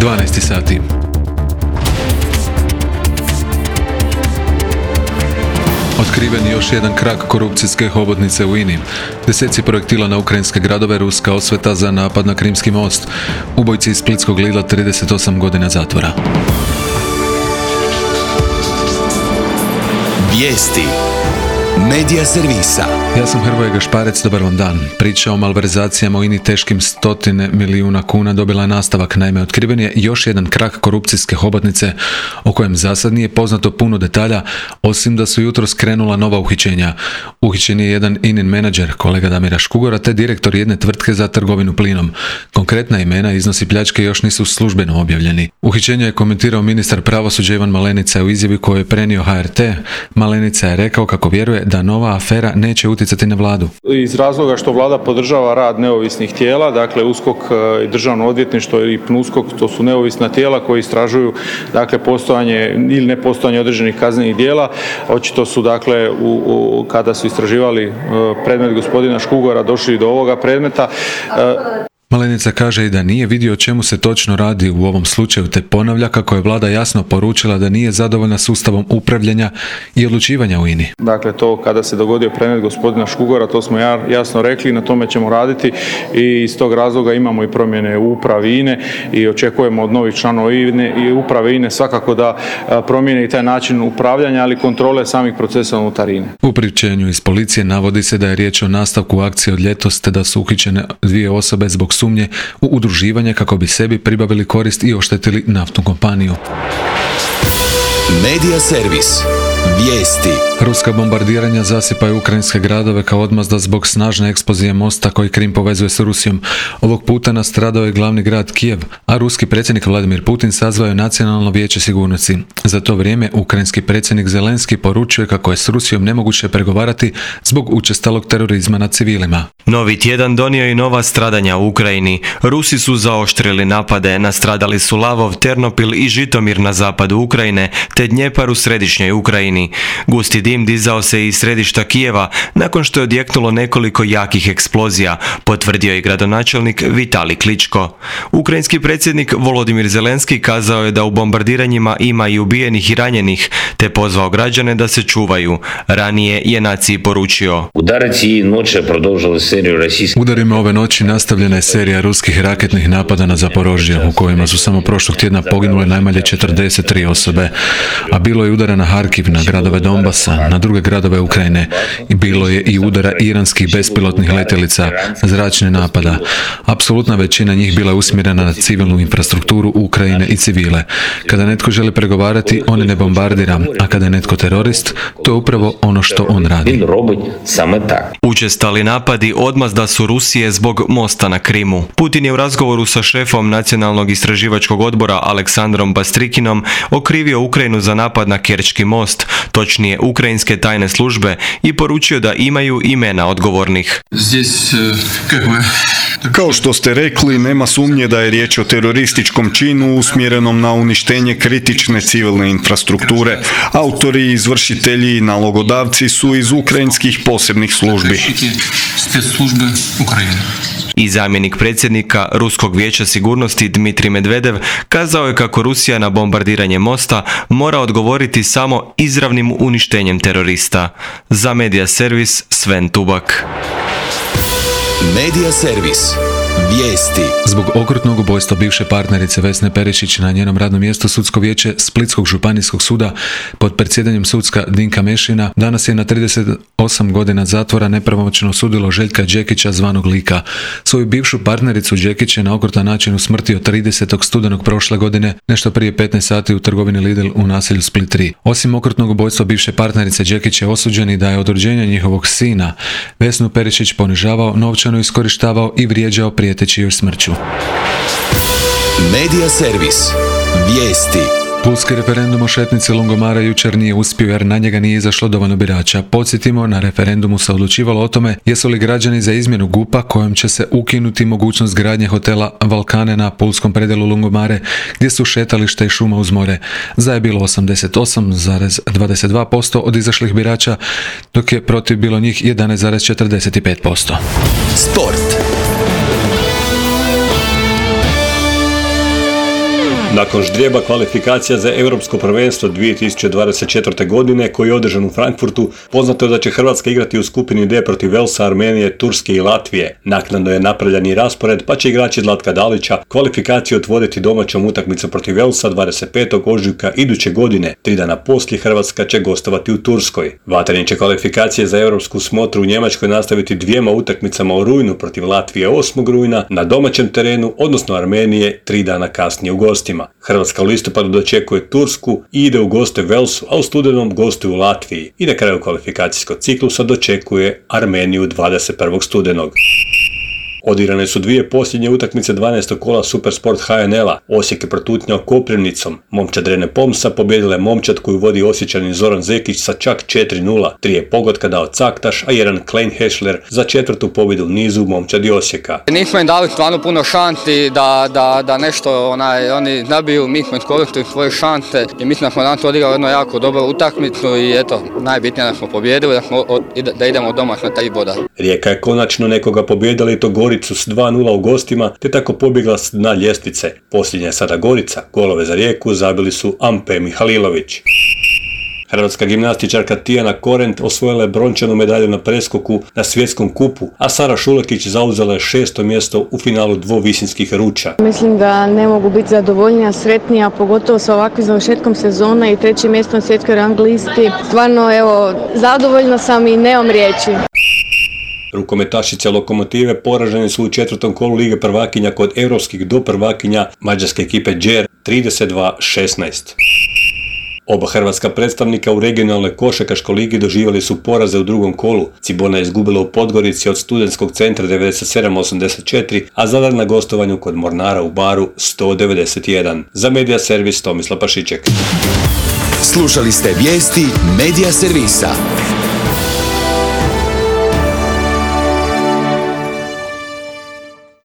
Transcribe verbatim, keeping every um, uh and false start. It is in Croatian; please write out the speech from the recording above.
dvanaest sati. Otkriven je još jedan krak korupcijske hobotnice u I N I. Deseci projektila na ukrajinske gradove, ruska osveta za napad na Krimski most. Ubojci iz splitskog Lidla trideset osam godina zatvora. Vijesti Medija servisa. Ja sam Hrvoje Gašparec, dobar vam dan. Priča o malverzacijama u I N I teškim stotine milijuna kuna dobila je nastavak. Naime, otkriven je još jedan krak korupcijske hobotnice o kojem zasad nije poznato puno detalja, osim da su jutros krenula nova uhićenja. Uhićen je jedan I N I-n menadžer, kolega Damira Škugora, te direktor jedne tvrtke za trgovinu plinom. Konkretna imena i iznosi pljačke još nisu službeno objavljeni. Uhićenje je komentirao ministar pravosuđa Ivan Malenica u izjavi koju je prenio H R T. Malenica je rekao kako vjeruje da nova afera neće utjecati na vladu. Iz razloga što vlada podržava rad neovisnih tijela, dakle U S K O K i Državno odvjetništvo i PNUSKOK, to su neovisna tijela koji istražuju dakle postojanje ili nepostojanje određenih kaznenih djela. Očito su dakle u, u, kada su istraživali predmet gospodina Škugora došli do ovoga predmeta. Malenica kaže i da nije vidio o čemu se točno radi u ovom slučaju, te ponavlja kako je vlada jasno poručila da nije zadovoljna sustavom upravljanja i odlučivanja u I N I. Dakle, to kada se dogodio predmet gospodina Škugora, to smo jasno rekli, na tome ćemo raditi i iz tog razloga imamo i promjene u upravi I N E i očekujemo od novih članova I N E i uprave I N E svakako da promijene i taj način upravljanja, ali kontrole samih procesa unutar I N E. U priopćenju iz policije navodi se da je riječ o nastavku akcije od ljetos, te da su uhićene dvije osobe zbog sumnje u udruživanje kako bi sebi pribavili korist i oštetili naftnu kompaniju. Medija servis. Vijesti. Ruska bombardiranja zasipaju ukrajinske gradove kao odmazda zbog snažne eksplozije mosta koji Krim povezuje s Rusijom. Ovog puta nastradao je glavni grad Kijev, a ruski predsjednik Vladimir Putin sazvao je Nacionalno vijeće sigurnosti. Za to vrijeme ukrajinski predsjednik Zelenski poručuje kako je s Rusijom nemoguće pregovarati zbog učestalog terorizma nad civilima. Novi tjedan donio i nova stradanja u Ukrajini. Rusi su zaoštrili napade, nastradali su Lavov, Ternopil i Žitomir na zapadu Ukrajine, te Dnjepar u središnjoj Ukrajini. Gusti dim dizao se iz središta Kijeva nakon što je odjeknulo nekoliko jakih eksplozija, potvrdio je gradonačelnik Vitali Kličko. Ukrajinski predsjednik Volodimir Zelenski kazao je da u bombardiranjima ima i ubijenih i ranjenih, te pozvao građane da se čuvaju. Ranije je naciji poručio: Udarima ove noći nastavljena je serija ruskih raketnih napada na Zaporožje, u kojima su samo prošlog tjedna poginule najmanje četrdeset tri osobe, a bilo je udara na Harkiv, na gradove Donbasa, na druge gradove Ukrajine, i bilo je i udara iranskih bespilotnih letjelica, zračne napada. Apsolutna većina njih bila je usmjerena na civilnu infrastrukturu Ukrajine i civile. Kada netko želi pregovarati, on ne bombardira, a kada je netko terorist, to je upravo ono što on radi. Učestali napadi odmazda su Rusije zbog mosta na Krimu. Putin je u razgovoru sa šefom Nacionalnog istraživačkog odbora Aleksandrom Bastrikinom okrivio Ukrajinu za napad na Kerčki most, točnije ukrajinske tajne službe, i poručio da imaju imena odgovornih. Kao što ste rekli, nema sumnje da je riječ o terorističkom činu usmjerenom na uništenje kritične civilne infrastrukture. Autori, izvršitelji i nalogodavci su iz ukrajinskih posebnih službi. I zamjenik predsjednika Ruskog vijeća sigurnosti Dmitrij Medvedev kazao je kako Rusija na bombardiranje mosta mora odgovoriti samo izravnim uništenjem terorista. Za Medija servis Sven Tubak. Medija servis. Vijesti. Zbog okrutnog ubojstva bivše partnerice Vesne Perišić na njenom radnom mjestu sudsko vijeće Splitskog županijskog suda pod predsjedanjem sucka Dinka Mešina danas je na trideset osam godina zatvora nepravomoćno osudilo Željka Đekića zvanog Lika. Svoju bivšu partnericu Đekić je na okrutan način usmrtio tridesetog studenog prošle godine, nešto prije petnaest sati u trgovini Lidl u naselju Split tri. Osim okrutnog ubojstva bivše partnerice, Đekić je osuđen i da je od rođenja njihovog sina Vesnu Perišić ponižavao, novčano iskorištavao i vrijeđao prijeteći joj smrću. Medija servis. Vijesti. Pulski referendum o šetnici Lungomara jučer nije uspio jer na njega nije izašlo dovoljno birača. Podsjetimo, na referendumu se odlučivalo o tome jesu li građani za izmjenu G U P-a kojom će se ukinuti mogućnost gradnje hotela Valkane na pulskom predjelu Lungomare gdje su šetalište i šuma uz more. Za je bilo osamdeset osam zarez dvadeset dva posto od izašlih birača, dok je protiv bilo njih jedanaest zarez četrdeset pet posto. Sport. Nakon ždrijeba kvalifikacija za Europsko prvenstvo dvije tisuće dvadeset četvrte. godine koji je održan u Frankfurtu, poznato je da će Hrvatska igrati u skupini D protiv Velsa, Armenije, Turske i Latvije. Naknadno je napravljen i raspored, pa će igrači Zlatka Dalića kvalifikaciju otvoriti domaćom utakmicom protiv Velsa dvadeset petog ožujka iduće godine. Tri dana poslije Hrvatska će gostovati u Turskoj. Vatreni će kvalifikacije za europsku smotru u Njemačkoj nastaviti dvijema utakmicama u rujnu protiv Latvije osmog rujna na domaćem terenu, odnosno Armenije tri dana kasnije u gostima. Hrvatska u listopadu dočekuje Tursku i ide u goste Velsu, a u studenom gostuje u Latviji i na kraju kvalifikacijskog ciklusa dočekuje Armeniju dvadeset prvog studenog. Odigrane su dvije posljednje utakmice dvanaestog kola Supersport H N L-a. Osijek je protutnjao Koprivnicom. Momčad Rene Pomsa pobjedila je momčad koju vodi Osječanin Zoran Zekić sa čak četiri nula. Tri je pogotka dao Caktaš, a jedan Klein Hešler za četvrtu pobjedu u nizu momčadi Osijeka. Nismo im dali stvarno puno šanti da, da, da nešto onaj, oni nabiju, mi smo iskoristili svoje šante i mislim da smo danas odigrali jednu jako dobru utakmicu i eto, najbitnije da smo pobjedili, da, smo, da idemo doma na tri boda. Rijeka je konačno nekoga pobjedila i to Goricu s dva nula u gostima, te tako pobjegla s dna ljestvice. Posljednja je sada Gorica. Golove za Rijeku zabili su Ampe Mihalilović. Hrvatska gimnastičarka Tijana Korent osvojila je brončanu medalju na preskoku na svjetskom kupu, a Sara Šulekić zauzela je šesto mjesto u finalu dvovisinskih ruča. Mislim da ne mogu biti zadovoljnija, sretnija, pogotovo sa ovakvim završetkom sezone i trećim mjestom na svjetskoj rang listi. Stvarno, evo, zadovoljna sam i nemam riječi. Rukometašice Lokomotive poražene su u četvrtom kolu Lige prvakinja kod europskih doprvakinja mađarske ekipe Đer trideset dva šesnaest. Oba hrvatska predstavnika u regionalnoj košarkaškoj ligi doživjeli su poraze u drugom kolu. Cibona je izgubila u Podgorici od Studentskog centra devedeset sedam osamdeset četiri, a Zadar na gostovanju kod Mornara u Baru sto devedeset jedan. Za Medija servis Tomislav Pašiček. Slušali ste vijesti Medija servisa.